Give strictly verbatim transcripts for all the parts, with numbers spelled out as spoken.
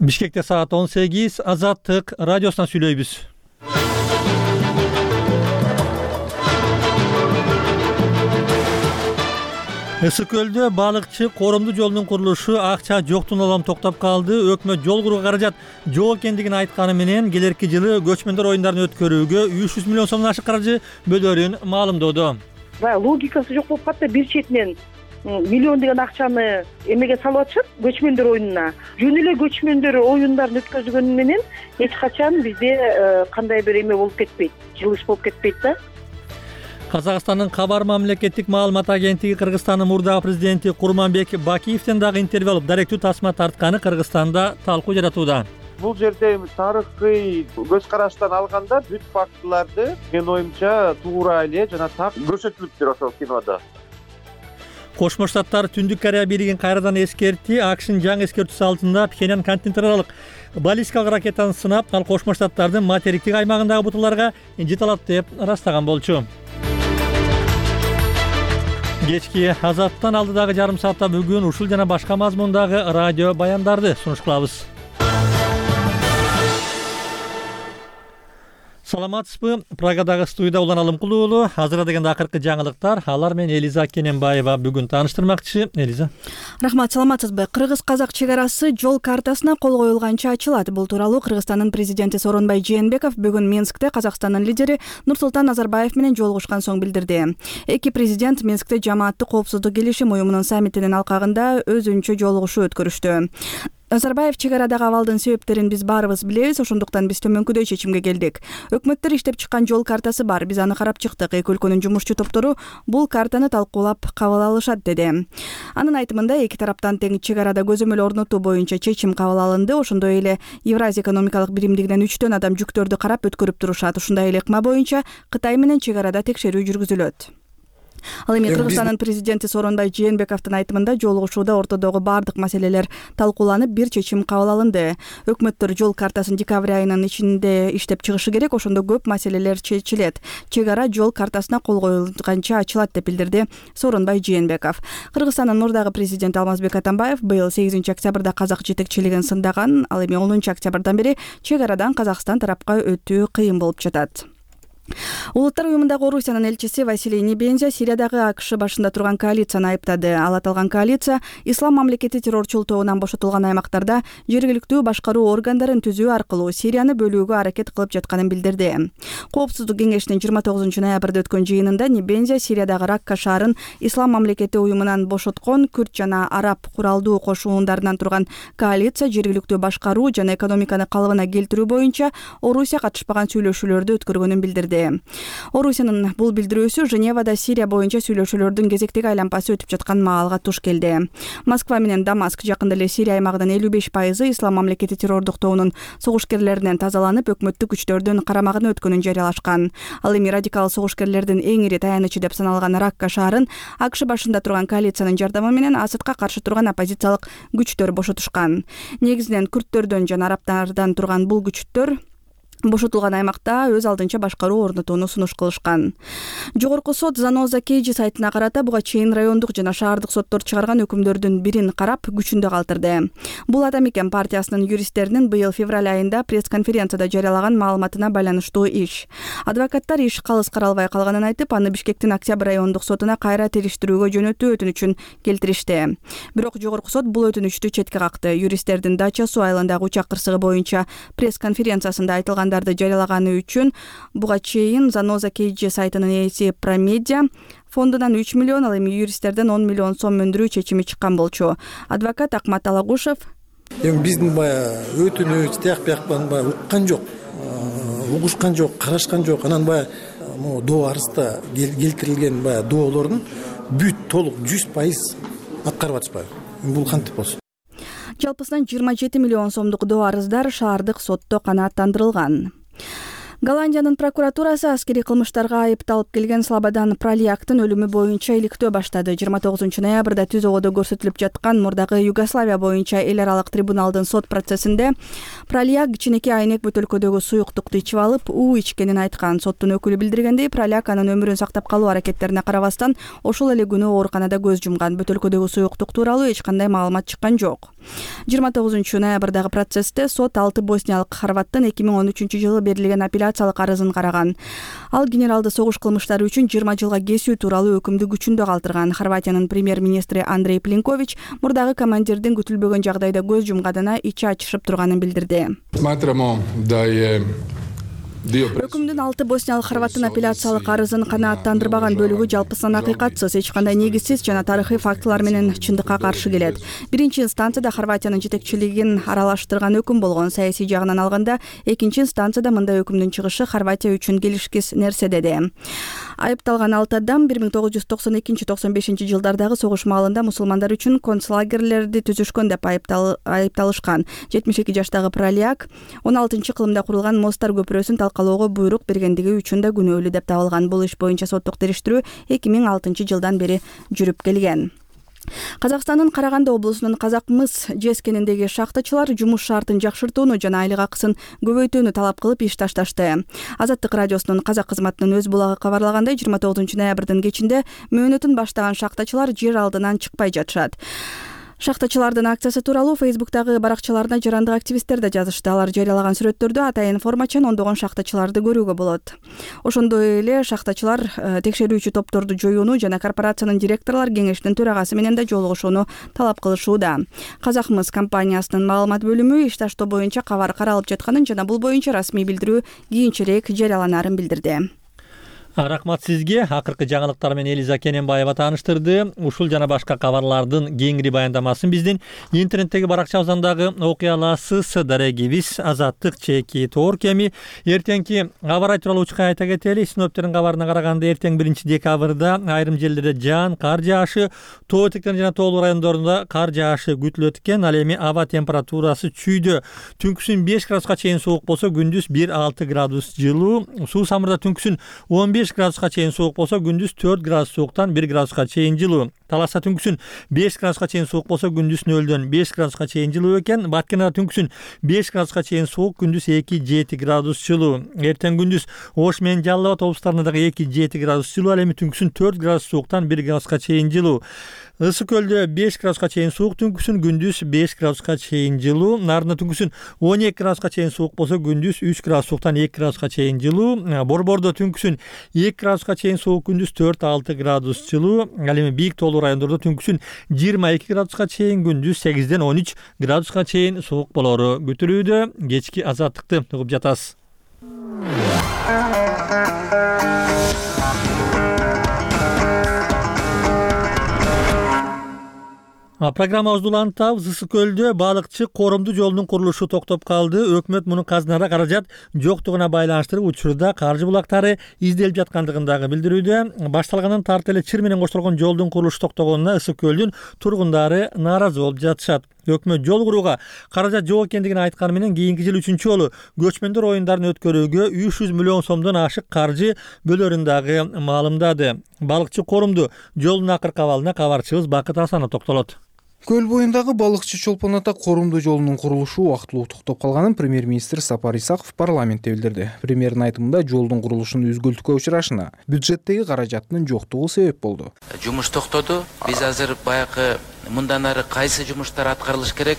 Бишкекте саат он сегиз. Азаттык радиосунан сүйлөйбүз. Ысык көлдө балыкчы коромдуу жолдун курулушу акча жоктун улам токтоп калды. Өкмөт жол курууга каражат жок экендигин айтканы менен келерки жылы көчмөндөр оюндарын өткөрүүгө үч жүз миллион сомдон ашык каржы бөлөрүн маалымдоодо. Баягы логикасы жок болуп калды. Бир четинен миллион деген акчаны эмеге салып атышат, көчмөндөр оюнуна. Жөн эле көчмөндөр оюндарын өткөзгөнү менен эч качан бизде кандай бир эме болуп кетпейт, жылыш болуп кетпейт да. Казакстандын Кабар мамлекеттик маалымат агенттиги Кыргызстандын мурдагы президенти Курманбек Бакиевден дагы интервью алып, даректүү тасма тартканы Кыргызстанда талкуу жаратууда. Бул жерде тарыхый көз караштан алганда бүт фактыларды менин оюмча туура эле жана так көрсөтүлүптүр ошол кинодо. Кошмо Штаттар Түндүк Корея бийлигин кайрадан эскертти. АКШнын жаңы эскертүүсү алдында Пхеньян континенттер аралык баллистикалык ракетаны сынап, ал Кошмо Штаттардын материктик аймагындагы бутуларга жете алат деп ырастаган болчу. Кечки Азаттан алдыдагы жарым саатта бүгүн ушул жана башка мазмундагы радио баяндарды сунуш кылабыз. Саламатсызбы? Прагадагы студияда Улан Алымкулуу уулу. Азыр дегенде акыркы жаңылыктар. Алар менен Элиза Кененбаева бүгүн тааныштырмакчы. Элиза. Рахмат, саламатсызбы? Кыргыз-казак чек арасы жол картасына кол коюлганча ачылат. Бул тууралуу Кыргызстандын президенти Сооронбай Жээнбеков бүгүн Минскте Казакстандын лидери Нурсултан Назарбаев менен жолугушкан соң билдирди. Эки президент Минскте жамааттык коопсуздук келишим уюмунун саммитинин алкагында өзүнчө жолугушуу өткөрүштү. Назарбаев чек арадагы абалдын себептерин биз баарыбыз билебиз, ошондуктан биз төмөнкүдөй чечимге келдик. Өкмөттөр иштеп чыккан жол картасы бар, биз аны карап чыктык. Эки өлкөнүн жумушчу топтору бул картаны талкуулап кабыл алышат, деди. Анын айтымында эки тараптан тең чек арада көзөмөл орнотуу боюнча чечим кабыл алынды. Ошондой эле Евразия экономикалык биримдигинен үчтөн адам жүктөрдү карап өткөрүп турушат. Ушундай эле ыкма боюнча Кытай менен чек арада текшерүү жүргүзүлөт. Ал эми Кыргызстандын президенти Сооронбай Жээнбековдун айтымында жолугушууда ортодогу бардык маселелер талкууланып, бир чечим кабыл алынды. Өкмөттөр жол картасын декабрь айынын ичинде иштеп чыгышы керек, ошондо көп маселелер чечилет. Чек ара жол картасына кол коюлганча ачылат деп билдирди Сооронбай Жээнбеков. Кыргызстандын мурдагы президенти Алмазбек Атамбаев быйыл сегизинчи октябрда казак жетекчилигин сындаган. Ал эми онунчу октябрдан бери чек арадан Казакстан тарапка өтүү кыйын болуп жатат. Улуттар уюмундагы Орусиянын элчиси Василий Небензя Сириядагы АКШ башында турган коалицияны айыптады. Ал аталган коалиция Ислам мамлекети террорчул тобунан бошотулган аймактарда жергиликтүү башкаруу органдарын түзүү аркылуу Сирияны бөлүүгө аракет кылып жатканын билдирди. Коопсуздук кеңешинин жыйырма тогузунчу ноябрда өткөн жыйынында Небензя Сириядагы Ракка шаарын Ислам мамлекети уюмунан бошоткон күрд жана араб куралдуу кошуундарынан турган коалиция жергиликтүү башкаруу жана экономиканы калыбына келтирүү боюнча Орусия катышпаган сүйлөшүүлөрдү өткөргөнүн билдирди. Орусиянын бул билдирүүсү Женевада Сирия боюнча сүйлөшүүлөрдүн кезектеги айланпасы өтүп жаткан маалга туш келди. Москва менен Дамаск жакында эле Сирия аймагынын элүү беш пайызы Ислам мамлекети террордук тобунун согушкерлеринен тазаланып, өкмөттүк күчтөрдүн карамагына өткөнүн жарыялашкан. Ал эми радикал согушкерлердин эң ири таянычы деп саналган Ракка шаарын АКШ башында турган коалициянын жардамы менен Асадка каршы турган оппозициялык күчтөр бошотушкан. Негизинен күрдтөрдөн жана арабтардан турган бул күчтөр бошотулган аймакта өз алдынча башкаруу орнотууну сунуш кылышкан. Жогорку сот Заноза Кейджи сайтына карата буга чейин райондук жана шаардык соттор чыгарган өкүмдөрдүн бирин карап күчүндө калтырды. Бул Адам экен партиясынын юристтеринин быйыл февраль айында пресс-конференцияда жарыялаган маалыматына байланыштуу иш. Адвокаттар иш калыс каралбай калганын айтып, аны Бишкектин Октябрь райондук сотуна кайра териштирүүгө жөнөтүү өтүнүчүн келтиришти. Бирок жогорку сот бул өтүнүчтү четке какты. Юристтердин Дача суу айылындагы учак кырсыгы боюнча пресс-конференциясында айтылган жарыялаганы үчүн буга чейин Заноза Кейджи сайтынын ээси Промедиа фондунан үч миллион, ал эми юристтерден он миллион сом өндүрүү чечими чыккан болчу. Адвокат Акмат Алагушев эми биздин баягы өтүнүч тияк бияктан баягы уккан жок, угушкан жок, карашкан жок. Анан баягы могу доо арызда келтирилген баягы доолордун бүт толук жүз пайыз аткарып атышпайбы. Бул кантип болсун? Жалпысынан жыйырма жети миллион сомдук доо арыздар шаардык сотто канааттандырылган. Голландиянын прокуратурасы аскерий кылмыштарга айыпталып келген Слободан Пралияктын өлүмү боюнча иликтөө баштады. жыйырма тогузунчу ноябрда түз ободо көрсөтүлүп жаткан мурдагы Югославия боюнча эл аралык трибуналдын сот процессинде Пралияк кичинекей айнек бөтөлкөдөгү суюктукту ичип алып, уу ичкенин айткан. Соттун өкүлү билдиргендей, Пралияк анын өмүрүн сактап калуу аракеттерине карабастан ошол эле күнү ооруканада көз жумган. Бөтөлкөдөгү суюктук тууралуу эч кандай маалымат чыккан жок. жыйырма тогузунчу ноябрдагы процессте сот алты босниялык хорваттын эки миң он үчүнчү жылы берилген апелляциялык арызын караган. Ал генералды согуш кылмыштары үчүн жыйырма жылга кесүү тууралуу өкүмдү күчүндө калтырган. Хорватиянын премьер-министри Андрей Пленкович мурдагы командирдин күтүлбөгөн жагдайда көз жумганына ичи ачышып турганын билдирди. Өкүмдүн алты босниялык хорваттын апелляциялык арызын канааттандырбаган бөлүгү жалпысынан акыйкатсыз, эч кандай негизсиз жана тарыхый фактылар менен чындыкка каршы келет. Биринчи инстанцияда Хорватиянын жетекчилигин аралаштырган өкүм болгон. Саясий жагынан алганда, экинчи инстанцияда мындай өкүмдүн чыгышы Хорватия үчүн келишкис нерсе деди. Айыпталган алты адам бир миң тогуз жүз токсон экинчи токсон бешинчи жылдардагы согуш маалында мусулмандар үчүн концлагерлерди түзүшкөн деп айыпталышкан. жетимиш эки жаштагы Пралияк он алтынчы кылымда курулган Мостар көпүрөсүн талкалоого буйрук бергендиги үчүн да күнөөлүү деп табылган. Бул иш боюнча соттук териштирүү эки миң алтынчы жылдан бери жүрүп келген. Казакстандын Караганды облусунун Казак мыс жескениндеги шахтачылар жумуш шартын жакшыртууну жана айлык акысын көбөйтүүнү талап кылып иш ташташты. Азаттык радиосунун казак кызматынын өз булагы кабарлагандай, жыйырма тогузунчу ноябрдын кечинде мөөнөтүн баштаган шахтачылар жер алдынан чыкпай жатышат. Шахтачылардын акциясы тууралуу Фейсбуктагы баракчаларына жарандык активисттер да жазышты. Алар жарыялаган сүрөттөрдө атайын формачен ондогон шахтачыларды көрүүгө болот. Ошондой эле шахтачылар текшерүүчү топторду жоюуну жана корпорациянын директорлор кеңешинин төрагасы менен да жолугушууну талап кылышууда. Казак мыс компаниясынын маалымат бөлүмү иш таштоо боюнча кабар каралып жатканын жана бул боюнча расмий билдирүү кийинчерээк жарыяланарын билдирди. Рахмат сизге. Акыркы жаңылыктар менен Элиза Кененбаева тааныштырды. Ушул жана башка кабарлардын кеңири баяндамасын биздин интернеттеги баракчабыздан дагы окуй аласыз. Дарегибиз Азаттык чеки тоор кеми. Эртеңки аба ырайы тууралуу учка айта кетели. Синоптиктердин кабарына караганда эртең биринчи декабрда айрым жерлерде жаан, кар жаашы, тоо этектер жана тоолуу райондорунда кар жаашы күтүлөт экен. Ал эми аба температурасы чүйдө. Түнкүсүн беш градуска чейин суук болсо, күндүз бир алты градус жылуу. Суу самырда түнкүсүн он беш градуска чейин суук болсо, күндүз төрт градус сууктан бир градуска чейин жылуу. Таласта түнкүсүн беш градуска чейин суук болсо, күндүз нөлдөн беш градуска чейин жылуу экен. Баткенада түнкүсүн беш градуска чейин суук, күндүз эки жети градус жылуу. Эртең күндүз Ош менен Жалал Абад облустарында дагы эки жети градус жылуу, ал эми түнкүсүн төрт градус сууктан бир градуска чейин жылуу. Ысык көлдө беш градуска чейин суук, түнкүсүн күндүз беш градуска чейин жылуу. Нарында түнкүсүн он эки градуска чейин суук болсо, күндүз үч градус сууктан эки градуска чейин жылуу. Борбордо түнкүсүн эки градуска чейин суук, күндүз төрт алты градус жылуу. Ал эми бийик тоолуу райондордо түнкүсүн жыйырма эки градуска чейин, күндүз сегизден он үч градуска чейин суук болору күтүлүүдө. Кечки азаттыкты угуп жатасыз. Программабызды улантабыз. Ысык көлдө балыкчы коромду жолдун курулушу токтоп калды. Өкмөт мунун казынада каражат жоктугуна байланыштырып учурда каржы булактары изделип жаткандыгын дагы билдирүүдө. Башталгандан тарты эле чыр менен коштолгон жолдун курулушу токтогонуна Ысык көлдүн тургундары нааразы болуп жатышат. Өкмөт жол курууга каражат жок экендигин айтканы менен кийинки жылы үчүнчү жолу көчмөндөр оюндарын өткөрүүгө үч жүз миллион сомдон ашык каржы бөлөрүн дагы маалымдады. Балыкчы корумду жолдун акыркы абалына кабарчыбыз Бакыт Асанов токтолот. Көл боюндагы балыкчы чолпон ата корумду жолунун курулушу убактылуу токтоп калганын премьер-министр Сапар Исаков парламентте билдирди. Премьердин айтымында жолдун курулушунун үзгүлтүккө учурашына бюджеттеги каражаттын жоктугу себеп болду. Жумуш токтоду. Биз азыр баягы мындан ары кайсы жумуштар аткарылыш керек?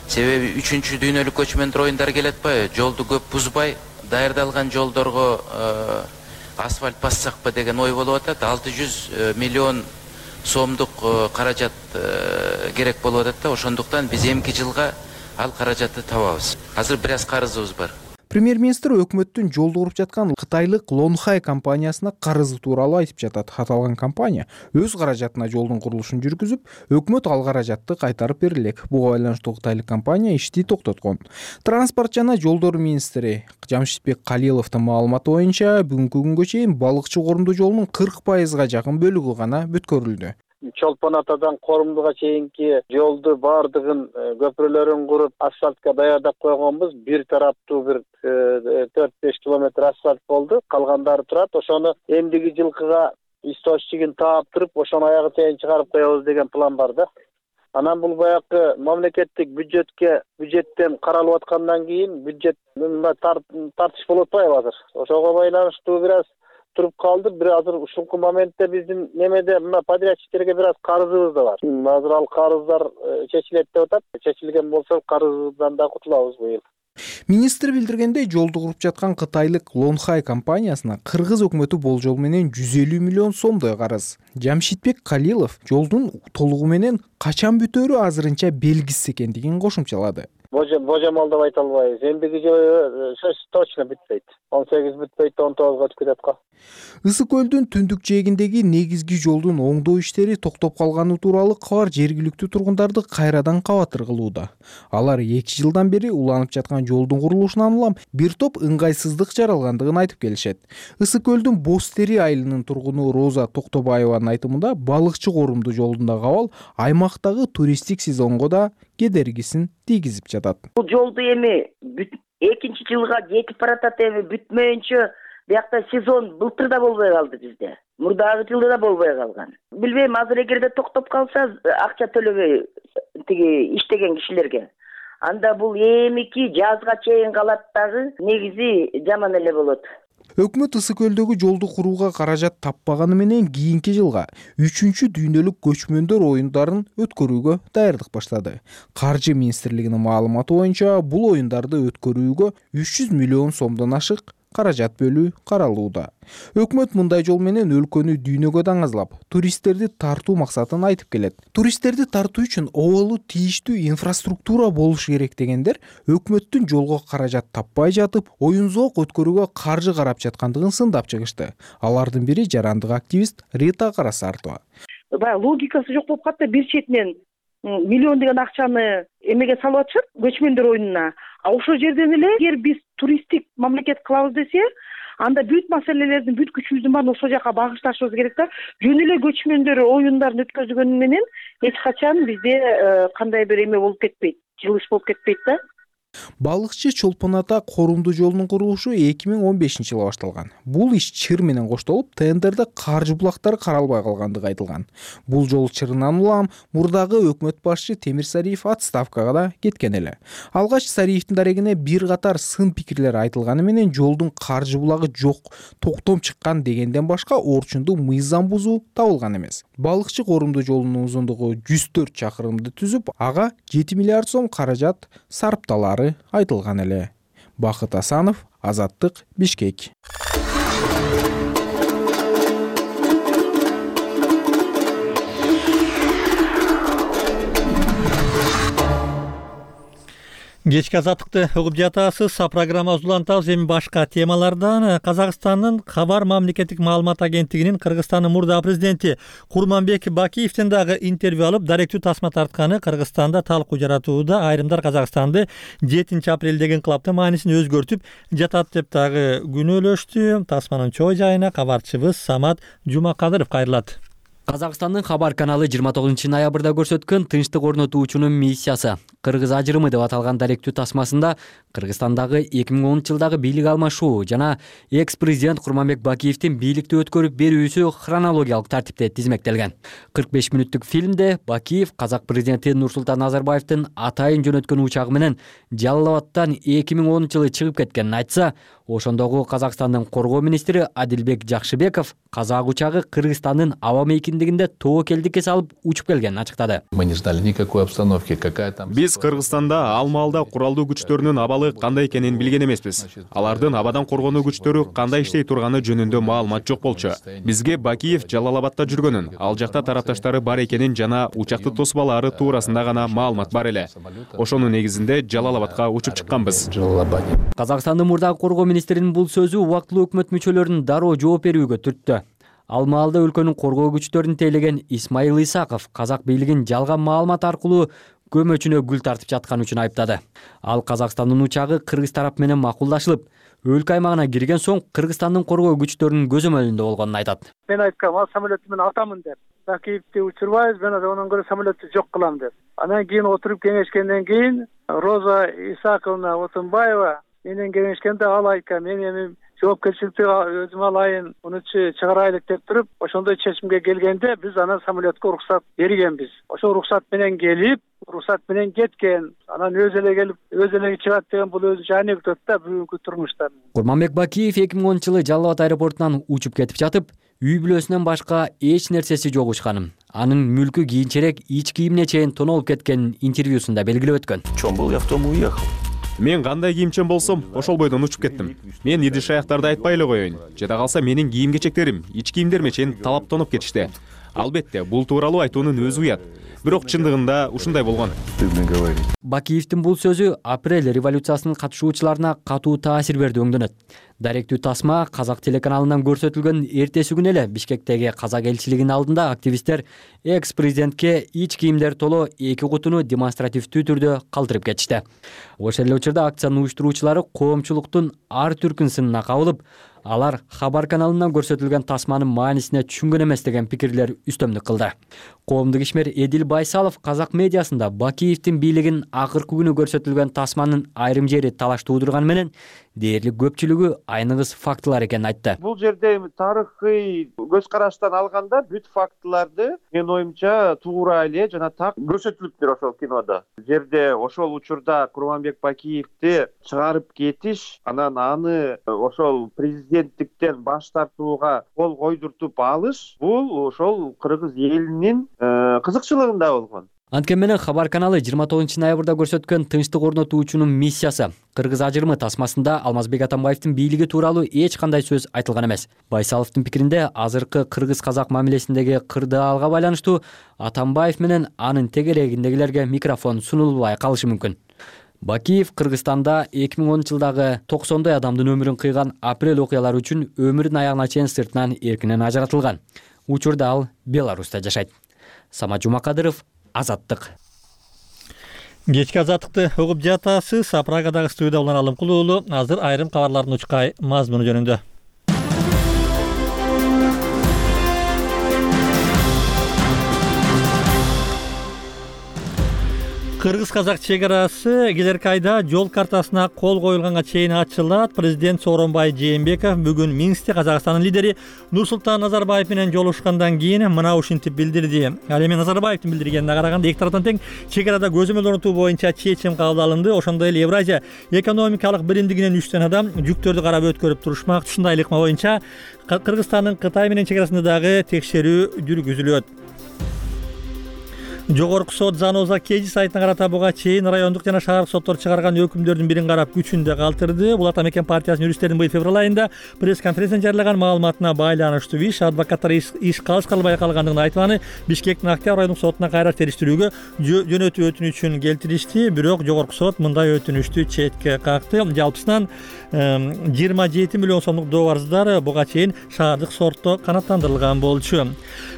Себеби үчүнчү дүйнөлүк көчмөндөр оюндары келет атпайбы? Жолду көп бузбай, даярдалган жолдорго асфальт бассакпы деген ой болуп атат. алты жүз миллион сомдук каражат керек болуп атат да, ошондуктан биз эмки жылга ал каражатты табабыз. Азыр бир аз карызыбыз бар. Премьер-министр өкмөттүн жолду куруп жаткан кытайлык Лонхай компаниясына карызы тууралуу айтып жатат. Аталган компания өз каражатына жолдун курулушун жүргүзүп, өкмөт ал каражатты кайтарып берилек. Буга байланыштуу кытайлык компания ишти токтоткон. Транспорт жана жолдор министри Жамшитбек Калиловдун маалыматы боюнча бүгүнкү күнгө чейин балыкчы корумду жолунун кырк пайызга жакын бөлүгү гана бүткөрүлдү. Чолпон атадан Корумдуга чейинки жолду баардыгын көпүрөлөрүн куруп асфальтка даярдап койгонбуз. Бир тараптуу бир төрт беш километр асфальт болду. Калгандары турат. Ошону эмдиги жылкыга источнигин таап туруп, ошону аягы чейин чыгарып коебуз деген план бар да. Анан бул баягы мамлекеттик бюджетке бюджеттен каралып аткандан кийин бюджет тартыш болуп атпайбы азыр. Ошого байланыштуу бир аз туруп калды. Бир азыр ушунку моментте биздин немеде мына подрядчиктерге бир аз карызыбыз да бар. Азыр ал карыздар чечилет деп атат. Чечилген болсо карыздан да кутулабыз быйыл. Министр билдиргендей, жолду куруп жаткан кытайлык Longhai компаниясына кыргыз өкмөтү болжол менен жүз элүү миллион сомдой карыз. Жамшитбек Калилов жолдун толугу менен качан бүтөөрү азырынча белгисиз экендигин кошумчалады. Божомол деп айта албайбыз. Эндиги жылы точно бүтпөйт. он сегиз бүтпөйт, он тогузга өтүп кетет го. Ысык көлдүн түндүк жээгиндеги негизги жолдун оңдоо иштери токтоп калганы тууралуу кабар жергиликтүү тургундарды кайрадан кабатыр кылууда. Алар эки жылдан бери уланып жаткан жолдун курулушунан улам бир топ ыңгайсыздык жаралгандыгын айтып келишет. Ысык көлдүн Бостери айылынын тургуну Роза Токтобаеванын айтымында, балыкчы корумду жолдундагы абал аймактагы туристтик сезонго да кедергисин тийгизип жатат. Бул жолду эми экинчи жылга жетип баратат, эми бүтмөйүнчө биякта сезон былтыр да болбой калды бизде. Мурдагы жылда да болбой калган. Билбейм, азыр эгерде токтоп калса акча төлөбөй тиги иштеген кишилерге. Анда бул эмики жазга чейин калат дагы, негизи жаман эле болот. Өкмөт Ысык көлдөгү жолду курууга каражат таппаганы менен кийинки жылга үчүнчү дүйнөлүк көчмөндөр оюндарын өткөрүүгө даярдык баштады. Каржы министрлигинин маалыматы боюнча, бул оюндарды өткөрүүгө үч жүз миллион сомдон ашык каражат бөлүү каралууда. Өкмөт мындай жол менен өлкөнү дүйнөгө даңазлап, туристтерди тартуу максатын айтып келет. Туристтерди тартуу үчүн оболу тийиштүү инфраструктура болуш керек дегендер өкмөттүн жолго каражат таппай жатып, оюн-зоок өткөрүүгө каржы карап жаткандыгын сындап чыгышты. Алардын бири жарандык активист Рита Карасартова. Баягы логикасы жок болуп калды. Бир четинен миллиондогон акчаны эмеге салып атышат, көчмөндөр оюнуна. А ошол жерден эле эгер биз туристтик мамлекет кылабыз десе, анда бүт маселелердин, бүт күчүбүздүн баарын ошол жака багышташыбыз керек да. Жөн эле көчмөндөр оюндарын өткөзгөнү менен эч качан бизде кандай бир эме болуп кетпейт, жылыш болуп кетпейт да. Балыкчы Чолпон ата корумду жолунун курулушу эки миң он бешинчи жылы башталган. Бул иш чыр менен коштолуп, тендерде каржы булактары каралбай калгандыгы айтылган. Бул жол чырынан улам мурдагы өкмөт башчы Темир Сариев отставкага да кеткен эле. Алгач Сариевдин дарегине бир катар сын пикирлер айтылганы менен жолдун каржы булагы жок, токтом чыккан дегенден башка орчундуу мыйзам бузуу табылган эмес. Балыкчы корумду жолунун узундугу жүз төрт чакырымды түзүп, ага жети миллиард сом каражат сарпталары айтылган эле. Бакыт Асанов, Азаттык, Бишкек. Кечки азаттыкты угуп жатасыз. Программабызды улантабыз. Эми башка темалардан. Казакстандын Кабар мамлекеттик маалымат агенттигинин Кыргызстандын мурда президенти Курманбек Бакиевден дагы интервью алып, даректүү тасма тартканы Кыргызстанда талкуу жаратууда. Айрымдар Казакстанды жетинчи апрелдеги инкылаптын маанисин өзгөртүп жатат деп дагы күнөөлөштү. Тасманын чоо жайына кабарчыбыз Самат Жумакадыров кайрылат. Казакстандын Хабар каналы жыйырма тогузунчу ноябрда көрсөткөн тынчтык орнотуучунун миссиясы Кыргыз ажырымы деп аталган даректүү тасмасында Кыргызстандагы эки миң онунчу жылдагы бийлик алмашуу жана экс-президент Курманбек Бакиевдин бийликти өткөрүп берүүсү хронологиялык тартипте тизмектелген. кырк беш мүнөттүк фильмде Бакиев казак президенти Нурсултан Назарбаевдин атайын жөнөткөн учагы менен Жалал Абадтан эки миң онунчу жылы чыгып кеткенин айтса, ошондогу Казакстандын коргоо министри Адилбек Жакшыбеков казак учагы Кыргызстандын аба мейкиндигинде тобокелдикке салып учуп келгенин ачыктады. Мы не ждали никакой обстановки, какая там. Биз Кыргызстанда ал маалда куралдуу күчтөрүнүн абалы кандай экенин билген эмеспиз. Алардын абадан коргонуу күчтөрү кандай иштей турганы жөнүндө маалымат жок болчу. Бизге Бакиев Жалал Абадта жүргөнүн, ал жакта тарапташтары бар экенин жана учакты тосбалары туурасында гана маалымат бар эле. Ошонун негизинде Жалал Абадка учуп чыкканбыз. Казакстандын мурдагы коргоо министринин бул сөзү убактылуу өкмөт мүчөлөрүнүн дароо жооп берүүгө түрттү. Ал маалда өлкөнүн коргоо күчтөрүн тейлеген Исмаил Исаков казак бийлигин жалган маалымат аркылуу көмөчүнө гүл тартып жаткан үчүн айыптады. Ал Казакстандын учагы Кыргыз тарап менен макулдашылып, өлкө аймагына кирген соң Кыргызстандын коргоо күчтөрүнүн көзөмөлүндө болгонун айтат. Мен айткам, ал самолетту мен атамын деп. Бакиевди учурбайбыз, мен онун көрө самолетту жок кылам деп. Анан кийин отуруп кеңешкенден кийин Роза Исаковна Отунбаева менен кеңешкенде ал айткан, мен эми жоопкерчиликти өзүм алайын, мунучу чыгарайлык деп туруп, ошондой чечимге келгенде биз анан самолетке уруксат бергенбиз. Ошо уруксат менен келип, уруксат менен кеткен. Анан өзү эле келип, өзү эле чыгат деген бул өзүнчө анекдот да бүгүнкү турмушта. Курманбек Бакиев эки миң онунчу жылы Жалал Абад аэропортунан учуп кетип жатып, үй бүлөсүнөн башка эч нерсеси жок учканын, анын мүлкү кийинчерээк ич кийимине чейин тоноолуп кеткенин интервьюсунда белгилеп өткөн. Чем был, я в том и уехал. Мен кандай кийимчен болсом, ошол бойдон учуп кеттим. Мен идиш аяктарды айтпай эле коеюн. Жада калса менин кийим кечектерим, ич кийимдериме чейин талаптанып кетишти. Албетте, бул тууралуу айтуунун өзү уят. Бирок чындыгында ушундай болгон. Бакиевдин бул сөзү апрель революциясынын катышуучуларына катуу таасир берди өңдөнөт. Даректүү тасма Казак телеканалынан көрсөтүлгөн эртеси күнү эле Бишкектеги Казак элчилигинин алдында активисттер экс-президентке ич кийимдер толо эки кутуну демонстративдүү түрдө калтырып кетишти. Ошол эле учурда акциянын уюштуруучулары коомчулуктун ар түркүн сынына кабылып, алар Хабар каналынан көрсөтүлгөн тасманын маанисине түшүнгөн эмес деген пикирлер үстөмдүк кылды. Коомдук ишмер Эдил Байсалов Казак медиасында Бакиевдин бийлигинин акыркы күнү көрсөтүлгөн тасманын айрым жери талаш туудурганы менен дээрлик көпчүлүгү айныгыс фактылар экенин айтты. Бул жерде тарыхый көз караштан алганда бүт фактыларды менин оюмча туура эле жана так көрсөтүлүптүр ошол кинодо. Жерде ошол учурда Курманбек Бакиевди чыгарып кетиш, анан аны ошол президенттиктен баш тартууга кол койдуртуп алыш, бул ошол кыргыз элинин кызыкчылыгында болгон. Анткени менен Хабар каналы жыйырма тогузунчу ноябрда көрсөткөн тынчтык орнотуучунун миссиясы Кыргыз ажырымы тасмасында Алмазбек Атамбаевдин бийлиги тууралуу эч кандай сөз айтылган эмес. Байсаловдун пикиринде азыркы кыргыз-казак мамилесиндеги кырдаалга байланыштуу Атамбаев менен анын тегерегиндегилерге микрофон сунулбай калышы мүмкүн. Бакиев Кыргызстанда эки миң онунчу жылдагы токсондой адамдын өмүрүн кыйган апрель окуялары үчүн өмүрүнүн аягына чейин сыртынан эркинен ажыратылган. Учурда ал Беларуста жашайт. Самат Жумакадыров, Азаттык. Кечки азаттыкты угуп жатасыз. Прагадагы студияда улан Алымкул уулу. Азыр айрым кабарлардын учкай мазмуну жөнүндө. Кыргыз-казак чек-арасы келерки айда жол картасына кол коюлганга чейин ачылат. Президент Сооронбай Жээнбеков бүгүн Минскте Казакстандын лидери Нурсултан Назарбаев менен жолугушкандан кийин мына ушинтип билдирди. Ал эми Назарбаевдин билдиргенине караганда эки тараптан тең чек арада көзөмөл орнотуу боюнча чечим кабыл алынды. Ошондой эле Евразия экономикалык биримдигинен үчтөн адам жүктөрдү карап өткөрүп турушмак. Ушундай ыкма боюнча Кыргызстандын Кытай менен чек арасында дагы текшерүү жүргүзүлөт. Жогорку сот Заноза Кежи сайтына карата буга чейин райондук жана шаардык соттор чыгарган өкүмдөрдүн бирин карап күчүндө калтырды. Бул Ата Мекен партиясынын юристтердин быйыл февраль айында пресс-конференцияда жарыялаган маалыматына байланыштуу. Иш адвокаттар иш калышкалы байкалгандыгын айтып, Бишкектин Октябрь райондук сотуна кайра териштирүүгө жөнөтүү өтүнүчүн келтиришти, бирок жогорку сот мындай өтүнүштү четке какты. Жалпысынан жыйырма жети миллион сомдук доорздар буга чейин шаардык сотто канааттандырылган болчу.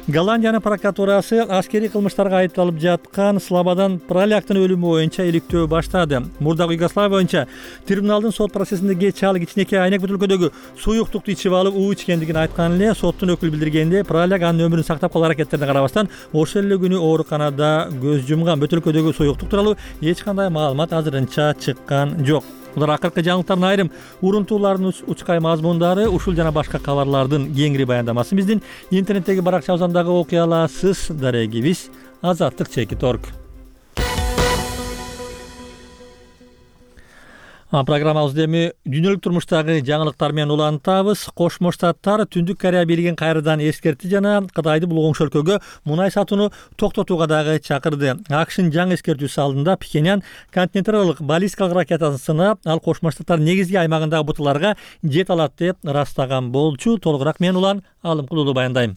Голландиянын прокуратурасы аскерий кылмыштарга айыпталып жаткан Слободан Проляктын өлүмү боюнча иликтөө баштады. Мурдагы Югославия боюнча трибуналдын сот процессинде кеч ал кичинекей айнек бөтөлкөдөгү суюктукту ичип алып уу ичкендигин айткан эле соттун өкүлү билдиргенде, Проляк анын өмүрүн сактап калуу аракеттерине карабастан ошол эле күнү ооруканада көз жумган. Бөтөлкөдөгү суюктук тууралуу эч кандай маалымат азырынча чыккан жок. Булар акыркы жаңылыктардын айрым урунтууларынын учкай мазмундары. Ушул жана башка кабарлардын кеңири баяндамасын биздин интернеттеги баракчабыздан дагы окуй аласыз. Дарегибиз Азаттык чекит точка орг. Программабызды эми дүйнөлүк турмуштагы жаңылыктар менен улантабыз. Кошмо Штаттар Түндүк Корея бийлигин кайрадан эскертти жана Кытайды бул оңшол өлкөгө мунай сатууну токтотууга дагы чакырды. АКШнын жаңы эскертүүсү алдында Пхеньян континенталдык баллистикалык ракетасын сынап, ал Кошмо Штаттар негизги аймагындагы буталарга жете алат деп ырастаган болчу. Толугураак мен улан Алымкул уулу баяндайм.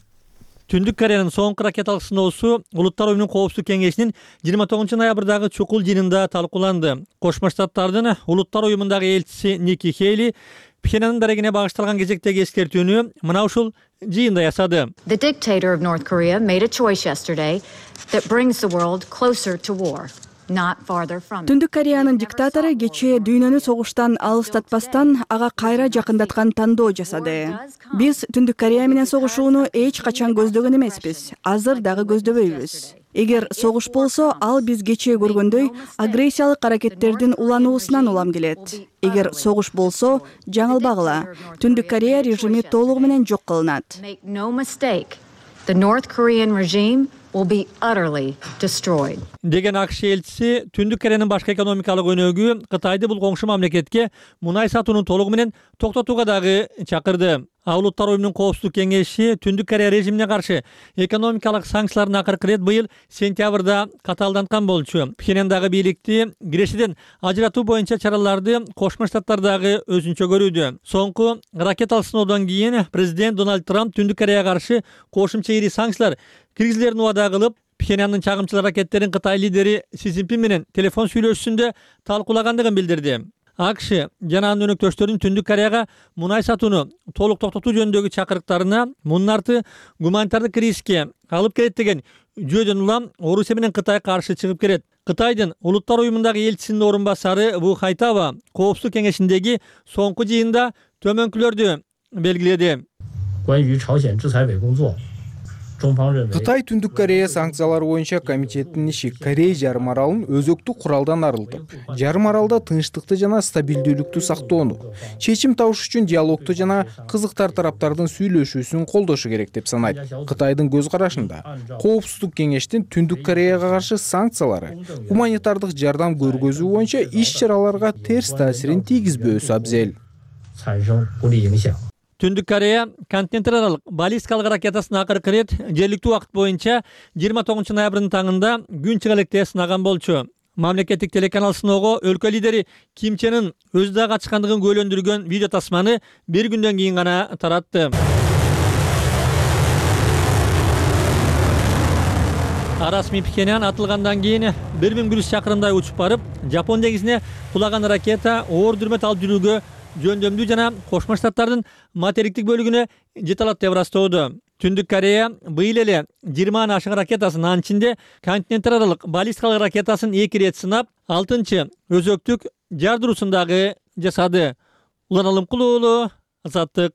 Түндүк Кореянын соңку ракеталык сыноосу Улуттар уюмунун коопсуздук кеңешинин жыйырма тогузунчу ноябрдагы чукул жыйынында талкууланды. Кошмо Штаттардын Улуттар уюмундагы элчиси Ники Хейли Пхеньяндын дарегине багышталган кезектеги эскертүүнү мына ушул жыйында ясады. The dictator of North Korea made a choice yesterday that brings the world closer to war. Түндүк Кореянын диктатору кечээ дүйнөнү согуштан алыстатпастан ага кайра жакындаткан тандоо жасады. Биз Түндүк Корея менен согушууну эч качан көздөгөн эмеспиз. Азыр дагы көздөбөйбүз. Эгер согуш болсо, ал биз кечээ көргөндөй агрессиялык аракеттердин улануусунан улам келет. Эгер согуш болсо, жаңылбагыла. Түндүк Корея режими толугу менен жок кылынат. Деген АКШ элчиси Түндүк Кореянын башкы экономикалык өнөгү Кытайды бул коңшу мамлекетке мунай сатууну толугу менен токтотууга дагы чакырды. Улуттар уюмунун коопсуздук кеңеши Түндүк Корея режимине каршы экономикалык санкцияларын акыркы ирет быйыл сентябрда катаалданткан болчу. Пхеньяндагы бийликти Кирешиден ажыратуу боюнча чараларды Кошмо Штаттар дагы өзүнчө көрүүдө. Соңку ракеталык сыноодон кийин президент Дональд Трамп Түндүк Кореяга каршы кошумча ири санкциялар киргизилерин убада кылып, Пхеньяндын чагымчыл аракеттерин Кытай лидери Си Цзиньпин менен телефон сүйлөшүүсүндө талкуулагандыгын билдирди. АКШ жана анын өнөктөштөрүнүн Түндүк Кореяга мунай сатууну толук токтотуу жөнүндөгү чакырыктарына мунун арты гуманитардык кризиске алып келет деген жүйөдөн улам Орусия менен Кытай каршы чыгып келет. Кытайдын Улуттар уюмундагы элчисинин орун басары Ву Хайтава Коопсуздук кеңешиндеги соңку жыйында төмөнкүлөрдү белгиледи. Кытай Түндүк Корея санкциялары боюнча комитетинин иши Корей жарым аралын өзөктүк куралдан арылтып, жарым аралда тынчтыкты жана стабилдүүлүктү сактоону, чечим табыш үчүн диалогту жана кызыктар тараптардын сүйлөшүүсүн колдошу керек деп санайт. Кытайдын көз карашында Коопсуздук кеңештин Түндүк Кореяга каршы санкциялары гуманитардык жардам көргөзүү боюнча иш-чараларга терс таасирин тийгизбөөсү абзел. Түндүк Корея континенттер баллистикалык ракетасын акыркы ирет жергиликтүү убакыт боюнча жыйырма тогузунчу ноябрдын таңында күн чыга электе сынаган болчу. Мамлекеттик телеканал сыноого өлкө лидери Ким Чен Ын өзү да катышкандыгын күбөлөндүргөн видео тасманы бир күндөн кийин гана таратты. Расмий Пхеньян атылгандан кийин бир миң бир жүз чакырымдай учуп барып, Жапон деңизине кулаган ракета оор дүрмөт алып жүрүүгө жөндөмдүү жана Кошмо Штаттардын материктик бөлүгүнө жете алат деп ырастоодо. Түндүк Корея быйыл эле жыйырмадан ашык ракетасын, анын ичинде континенттер аралык баллистикалык ракетасын эки ирет сынап, алтынчы өзөктүк жардыруусын дагы жасады. Улан Алымкулуу уулу, Азаттык.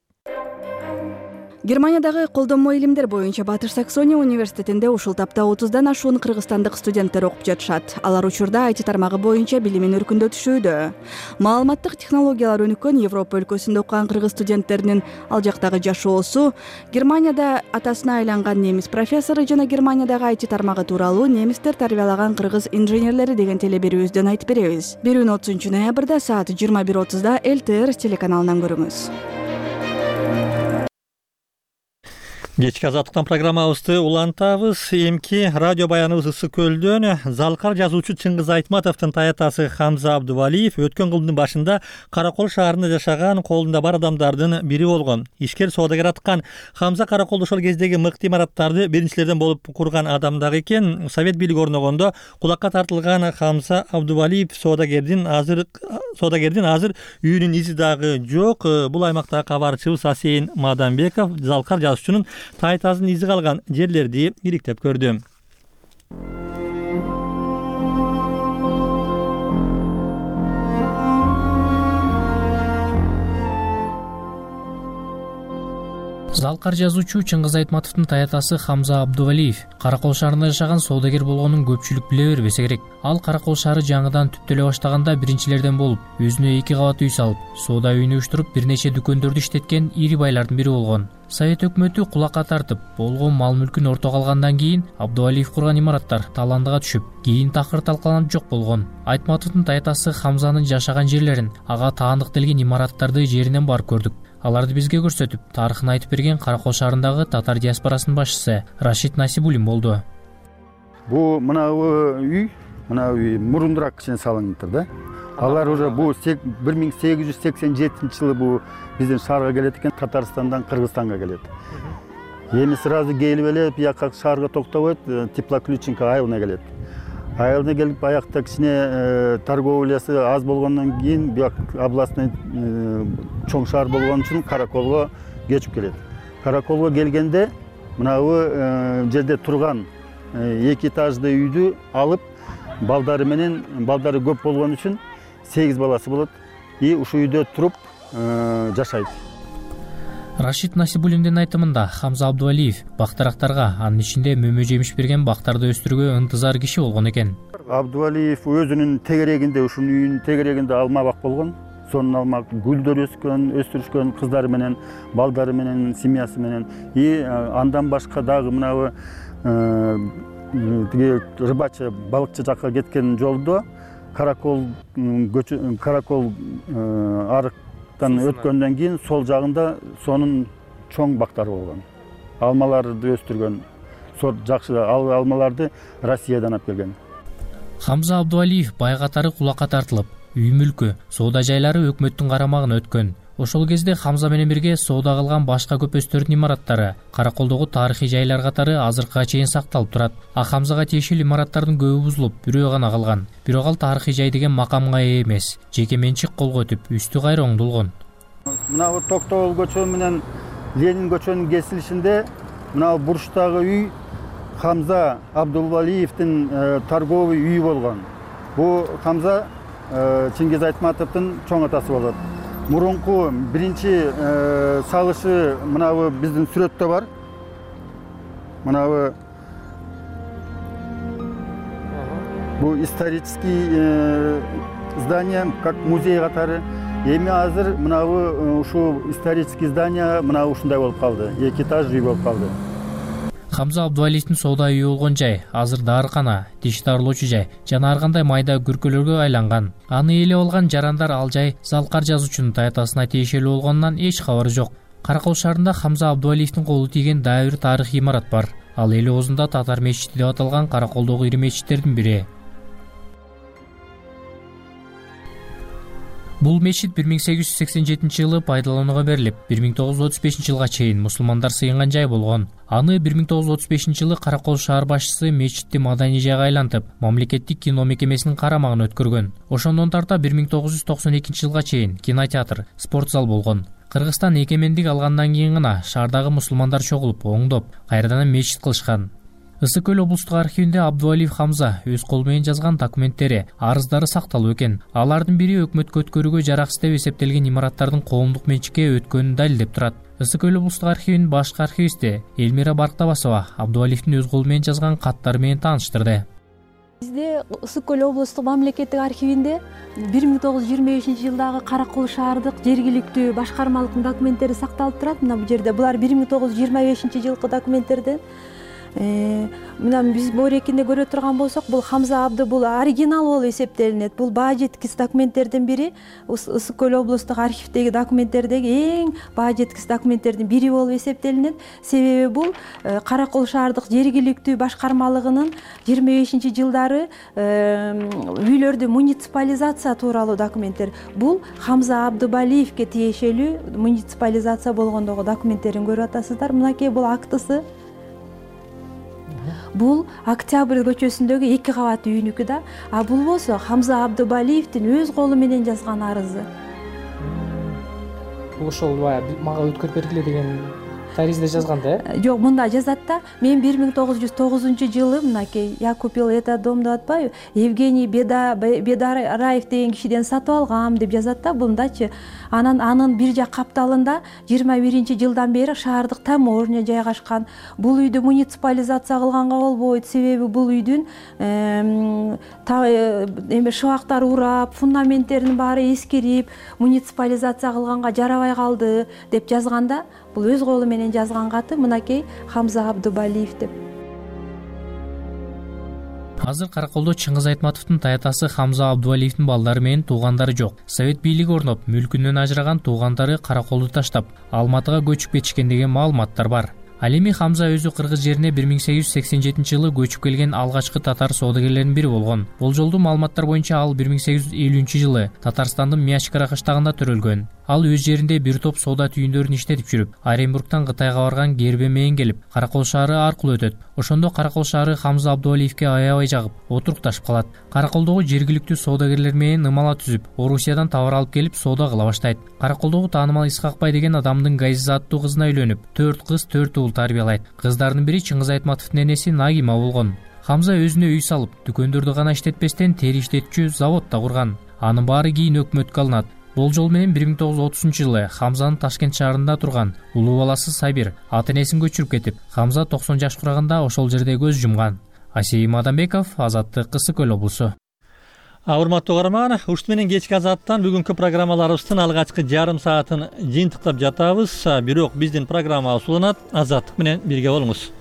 Германиядагы колдонмо илимдер боюнча Батыш Саксония университетинде ушул тапта отуздан ашуун кыргызстандык студенттер окуп жатышат. Алар учурда ай ти тармагы боюнча билимин өркүндөтүшүүдө. Маалыматтык технологиялар өнүккөн Европа өлкөсүндө окуган кыргыз студенттеринин ал жактагы жашоосу, Германияда атасына айланган немис профессору жана Германиядагы ай ти тармагы тууралуу немистер тарбиялаган кыргыз инженерлери деген телеберүүбүздөн айтып беребиз. Берүүнү отузунчу ноябрда саат жыйырма бир отузда эл тэ эр телеканалынан көрүңүз. Кечки азаттыктан программабызды улантабыз. Эмки радио баяныбыз Ысык көлдөн залкар жазуучу Чыңгыз Айтматовдун таятасы Хамза Абдувалиев өткөн кылымдын башында Каракол шаарында жашаган, колунда бар адамдардын бири болгон. Ишкер соодагер аткан Хамза Караколдо ошол кездеги мыкты имараттарды биринчилерден болуп курган адам дагы экен. Совет бийлиги орногондо кулакка тартылган Хамза Абдувалиев соодагердин азыр соодагердин азыр үйүнүн изи дагы жок. Бул аймактагы кабарчыбыз Асейин Маданбеков залкар жазуучунун тайтасын изи калган жерлерди ириктеп көрдү. Залкар жазуучу Чыңгыз Айтматовдун таятасы Хамза Абдувалиев Каракол шаарында жашаган соодагер болгонун көпчүлүк биле бербесе керек. Ал Каракол шаары жаңыдан түптөлө баштаганда биринчилерден болуп, өзүнө эки кабат үй салып, соода үйүн уюштуруп, бир нече дүкөндөрдү иштеткен ири байлардын бири болгон. Совет өкмөтү кулакка тартып, болгон мал-мүлкүн ортого алгандан кийин Абдувалиев курган имараттар таландыга түшүп, кийин такыр талкаланып жок болгон. Айтматовдун таятасы Хамзанын жашаган жерлерин, ага таандык делген имараттарды жеринен барып көрдүк. Аларды бизге көрсөтүп, тарыхын айтып берген Каракол шаарындагы татар диаспорасынын башчысы Рашид Насибулин болду. Бу мына үй, мына үй мурунураак кичине салынгыптыр да. Алар уже бу бир миң сегиз жүз сексен жетинчи жылы бу биздин шаарга келет экен, Татарстандан Кыргызстанга келет. Эми сразу келип эле бияка шаарга токтобойт, Теплоключенко айылына келет. Айылына келип аякта кичине торговлясы аз болгондон кийин бияк областный чоң шаар болгон үчүн Караколго кечип келет. Караколго келгенде мына бу жерде турган эки этаждуу үйдү алып, балдары менен балдары көп болгон үчүн сегиз баласы болот и ушул үйдө туруп жашайт. Рашид Насибуллиндин айтымында Хамза Абдувалиев бактарактарга, анын ичинде мөмө жемиш берген бактарды өстүрүүгө ынтызар киши болгон экен. Абдувалиев өзүнүн тегерегинде, ушунун үйүнүн тегерегинде алма бак болгон. Сонун алма гүлдөр өскөн, өстүрүшкөн кыздары менен, балдары менен, семьясы менен. И андан башка дагы мынабы тиги рыбачы, балыкчы жакка кеткен жолдо каракол каракол арыктан өткөндөн кийин сол жагында сонун чоң бактары болгон. Алмаларды өстүргөн. Сорт жакшы алмаларды Россиядан алып келген. Хамза Абдувалиев бай катары кулакка тартылып, үй мүлкү, соода жайлары өкмөттүн карамагына өткөн. Ошол кезде Хамза менен бирге соода кылган башка көпөстөрдүн имараттары Караколдогу тарыхый жайлар катары азыркыга чейин сакталып турат. А Хамзага тиешелүү имараттардын көбү бузулуп, бирөө гана калган. Бирок ал тарыхый жай деген макамга ээ эмес, жеке менчик колго өтүп, үстү кайра оңдолгон. Мына Токтогул көчө менен Ленин көчөнүн кесилишинде мына бурчтагы үй Хамза Абдувалиевдин торговый үйү болгон. Бу Хамза Чингиз Айтматовдун чоң атасы болот. Мурунку биринчи салышы мынабы биздин сүрөттө бар. Мынабы бу исторический здание, как музей катары. Эми азыр мынабы ушул исторический здание мына ушундай болуп калды. Эки этаж үй болуп калды. Хамза Абдувалиевдин соода үйү болгон жай азыр дарыкана, тиш дарылоочу жай жана ар кандай майда күркөлөргө айланган. Аны ээлеп алган жарандар ал жай Залкар жазуучунун таятасына тиешелүү болгонунан эч кабары жок. Каракол шаарында Хамза Абдувалиевдин колу тийген дайыр тарыхый имарат бар. Ал эл оозунда Татар мечити деп аталган Караколдогу ири мечиттердин бири. Бул мечит бир миң сегиз жүз сексен жетинчи жылы пайдаланууга берилип, бир миң тогуз жүз отуз бешинчи жылга чейин мусулмандар сыйынган жай болгон. Аны бир миң тогуз жүз отуз бешинчи жылы Каракол шаар башчысы мечитти маданий жайга айлантып, мамлекеттик кино мекемесинин карамагына өткөргөн. Ошондон тарта бир миң тогуз жүз токсон экинчи жылга чейин кинотеатр, спорт зал болгон. Кыргызстан эгемендик алгандан кийин гана шаардагы мусулмандар чогулуп, оңдоп, кайрадан мечит кылышкан. Ысык көл облустук архивинде Абдувалиев Хамза өз колу менен жазган документтери, арыздары сакталып экен. Алардын бири өкмөткө өткөрүүгө жараксыз деп эсептелген имараттардын коомдук менчикке өткөнүн далилдеп турат. Ысык көл облустук архивинин башкы архивисти Элмира Барктабасова Абдувалиевдин өз колу менен жазган каттары менен тааныштырды. Бизде Ысык көл облустук мамлекеттик архивинде бир миң тогуз жүз жыйырма бешинчи жылдагы Каракол шаардык жергиликтүү башкармалыктын документтери сакталып турат. Мына бул жерде булар бир миң тогуз жүз жыйырма бешинчи жылкы документтерден. Мына биз боорекинде көрө турган болсок, бул Хамза Абды бул оригинал болуп эсептелинет. Бул баа жеткис документтердин бири, Ысык көл облустук архивдеги документтердеги эң баа жеткис документтердин бири болуп эсептелинет. Себеби бул Каракол шаардык жергиликтүү башкармалыгынын жыйырма бешинчи жылдары үйлөрдү муниципализация тууралуу документтер. Бул Хамза Абдувалиевге тиешелүү муниципализация болгондогу документтерин көрүп атасыздар. Мынакей бул актысы. Бул Октябрь көчөсүндөгү эки кабаттуу үйнүкү да. А бул болсо Хамза Абдувалиевдин өз колу менен жазган арызы. Бул ошол баягы мага өткөрүп бергиле деген таризде жазган да? Жок, мында жазат да. Мен бир миң тогуз жүз тогузунчу жылы мынакей Я купил этот дом деп атпайбы? Евгений Бедараев деген кишиден сатып алгам деп жазат да бундачы. Анан анын бир жак капталында жыйырма биринчи жылдан бери шаардык таможня жайгашкан. Бул үйдү муниципализация кылганга болбойт, себеби бул үйдүн эме шыбактары урап, фундаменттеринин баары эскирип, муниципализация кылганга жарабай калды деп жазганда, бул өз колу менен жазган каты мынакей Хамза Абдувалиев деп. Азыр Караколдо Чыңгыз Айтматовдун таятасы Хамза Абдувалиевдин балдары менен туугандары жок. Совет бийлиги орноп, мүлкүнөн ажыраган туугандары Караколду таштап, Алматыга көчүп кетишкен деген маалыматтар бар. Ал эми Хамза өзү кыргыз жерине бир миң сегиз жүз сексен жетинчи жылы көчүп келген алгачкы татар соодагерлеринин бири болгон. Болжолдуу маалыматтар боюнча ал бир миң сегиз жүз элүүнчү жылы Татарстандын Миячкара кыштагында төрөлгөн. Ал өз жеринде бир топ соода түйүндөрүн иштетип жүрүп, Оренбургтан Кытайга барган кербе менен келип, Каракол шаары аркылуу өтөт. Ошондо Каракол шаары Хамза Абдувалиевге аябай жагып, отурукташып калат. Караколдогу жергиликтүү соодагерлер менен ымала түзүп, Орусиядан товар алып келип соода кыла баштайт. Караколдогу таанымал Исхакбай деген адамдын Газиза аттуу кызына үйлөнүп, төрт кыз, төрт уул тарбиялайт. Кыздардын бири Чыңгыз Айтматовдун энеси Нагима болгон. Хамза өзүнө үй салып, дүкөндөрдү гана иштетпестен тери иштетчү завод да курган. Анын баары кийин өкмөткө алынат. Болжол менен бир миң тогуз жүз отузунчу жылы Хамзанын Ташкент шаарында турган улуу баласы Сабир ата энесин көчүрүп кетип, Хамза токсон жаш турганда ошол жерде көз жумган. Асей Мадамбеков, Азаттык, Ысык Көл облусу. Урматтуу каарман, ушут менен кечки Азаттан бүгүнкү программаларыбыздын алгачкы жарым саатын жыйынтыктап жатабыз. Бирок биздин программабыз уланат. Азаттык менен бирге болуңуз.